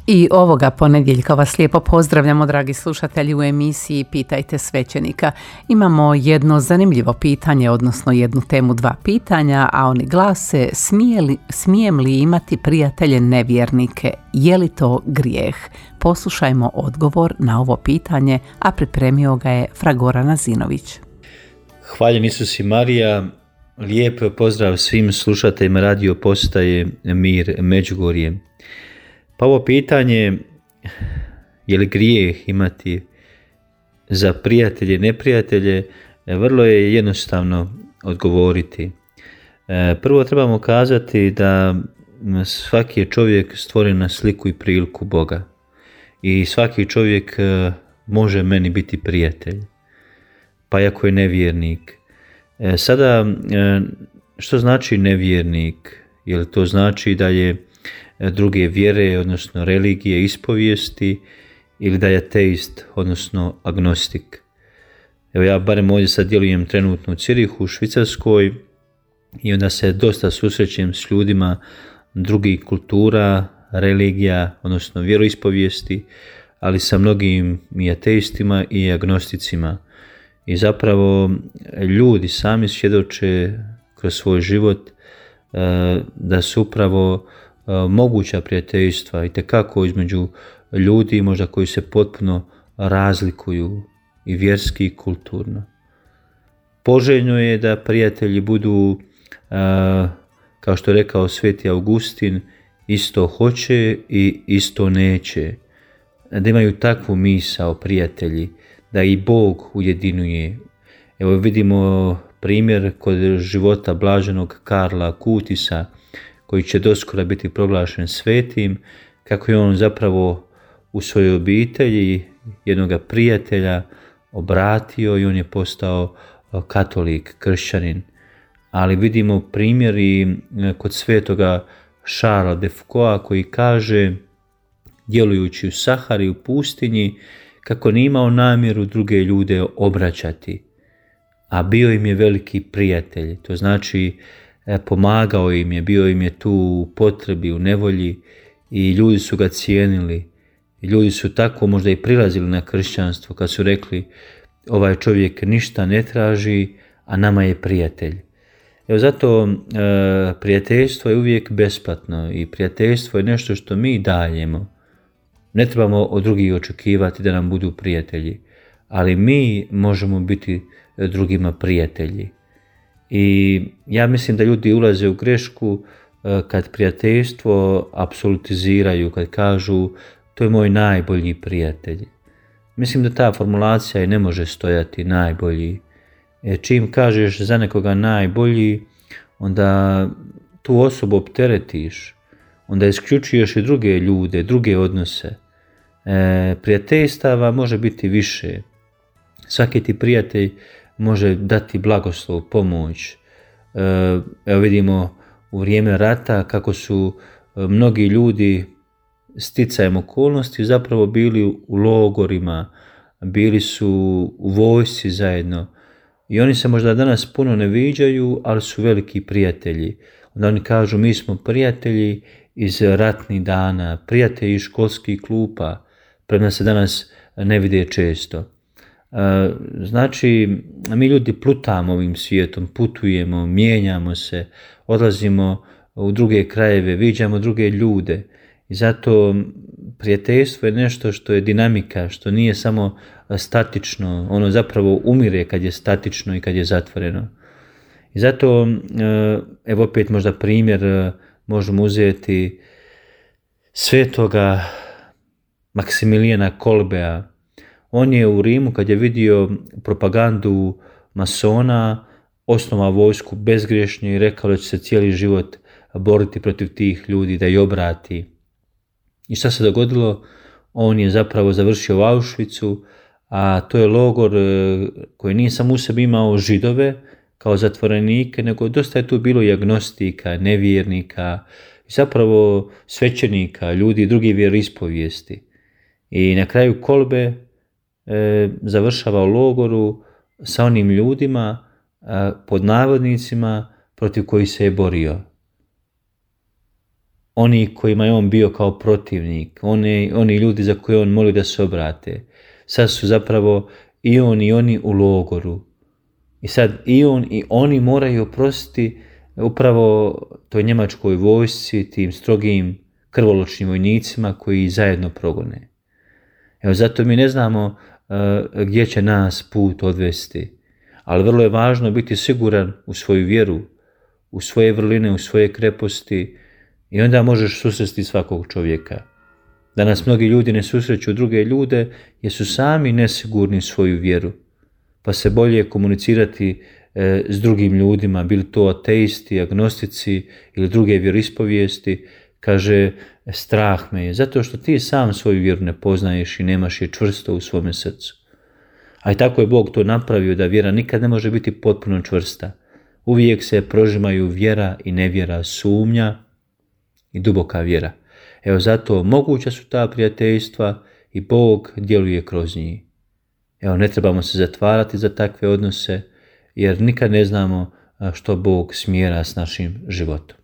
I ovoga ponedjeljka vas lijepo pozdravljamo, dragi slušatelji, u emisiji Pitajte svećenika. Imamo jedno zanimljivo pitanje, odnosno jednu temu, dva pitanja, a oni glase: smijem li imati prijatelje nevjernike? Je li to grijeh? Poslušajmo odgovor na ovo pitanje, a pripremio ga je Fra Goran Azinović. Hvaljen Isus i Marija, lijep pozdrav svim slušateljima radio postaje Mir Međugorje. Pa ovo pitanje, je li grijeh imati za prijatelje i neprijatelje, vrlo je jednostavno odgovoriti. Prvo trebamo kazati da svaki je čovjek stvoren na sliku i priliku Boga. I svaki čovjek može meni biti prijatelj, pa i ako je nevjernik. Sada, što znači nevjernik? Je li to znači da je druge vjere, odnosno religije, ispovijesti, ili da je ateist, odnosno agnostik? Evo ja barem ovdje sad djelujem trenutno u Cirihu, u Švicarskoj, i onda se dosta susrećem s ljudima drugih kultura, religija, odnosno vjeroispovijesti, ali sa mnogim i ateistima i agnosticima. I zapravo ljudi sami svjedoče kroz svoj život da su upravo moguća prijateljstva itekako između ljudi, možda koji se potpuno razlikuju i vjerski i kulturno. Poželjno je da prijatelji budu, kao što je rekao Sveti Augustin, isto hoće i isto neće. Da imaju takvu misao prijatelji, da i Bog ujedinjuje. Evo vidimo primjer kod života blaženog Karla Kutisa, koji će doskora biti proglašen svetim, kako je on zapravo u svojoj obitelji jednoga prijatelja obratio i on je postao katolik, kršćanin. Ali vidimo primjer i kod svetoga Charlesa de Foucaulta, koji kaže, djelujući u Sahari, u pustinji, kako nije imao namjeru druge ljude obraćati, a bio im je veliki prijatelj. To znači, pomagao im je, bio im je tu u potrebi, u nevolji, i ljudi su ga cijenili. I ljudi su tako možda i prilazili na kršćanstvo kad su rekli, ovaj čovjek ništa ne traži, a nama je prijatelj. Evo zato prijateljstvo je uvijek besplatno i prijateljstvo je nešto što mi dajemo. Ne trebamo od drugih očekivati da nam budu prijatelji, ali mi možemo biti drugima prijatelji. I ja mislim da ljudi ulaze u grešku kad prijateljstvo apsolutiziraju, kad kažu to je moj najbolji prijatelj. Mislim da ta formulacija i ne može stojati najbolji. Čim kažeš za nekoga najbolji, onda tu osobu opteretiš, onda isključuješ i druge ljude, druge odnose. Prijateljstava može biti više. Svaki ti prijatelj može dati blagoslov, pomoć. Evo vidimo u vrijeme rata kako su mnogi ljudi sticajem okolnosti zapravo bili u logorima, bili su u vojsci zajedno. I oni se možda danas puno ne viđaju, ali su veliki prijatelji. Onda oni kažu, mi smo prijatelji iz ratnih dana, prijatelji iz školskih klupa, premda se danas ne vide često. Znači, mi ljudi plutamo ovim svijetom, putujemo, mijenjamo se, odlazimo u druge krajeve, viđamo druge ljude. I zato prijateljstvo je nešto što je dinamika, što nije samo statično, ono zapravo umire kad je statično i kad je zatvoreno. I zato, evo opet možda primjer, možemo uzeti svetoga Maksimilijana Kolbea. On je u Rimu, kad je vidio propagandu masona, osnovao vojsku bezgrešno i rekao da će se cijeli život boriti protiv tih ljudi, da ih obrati. I šta se dogodilo? On je zapravo završio u Auschwitzu, a to je logor koji nije samo u sebi imao Židove kao zatvorenike, nego dosta je tu bilo i agnostika, nevjernika, i zapravo svećenika, ljudi drugih vjeroispovijesti. I na kraju Kolbe završava u logoru sa onim ljudima, pod navodnicima, protiv kojih se je borio. oni kojima je on bio kao protivnik, oni ljudi za koje on moli da se obrate. Sad su zapravo i on i oni u logoru. I sad i on i oni moraju oprostiti upravo toj njemačkoj vojsci, tim strogim krvoločnim vojnicima koji zajedno progone. Evo, zato mi ne znamo gdje će nas put odvesti, ali vrlo je važno biti siguran u svoju vjeru, u svoje vrline, u svoje kreposti, i onda možeš susresti svakog čovjeka. Danas mnogi ljudi ne susreću druge ljude jer su sami nesigurni u svoju vjeru, pa se bolje komunicirati s drugim ljudima, bili to ateisti, agnostici ili druge vjeroispovijesti. Kaže, strah me je, zato što ti sam svoju vjeru ne poznaješ i nemaš je čvrsto u svome srcu. A i tako je Bog to napravio, da vjera nikad ne može biti potpuno čvrsta. Uvijek se prožimaju vjera i nevjera, sumnja i duboka vjera. Evo, zato moguća su ta prijateljstva i Bog djeluje kroz njih. Evo, ne trebamo se zatvarati za takve odnose, jer nikad ne znamo što Bog smjera s našim životom.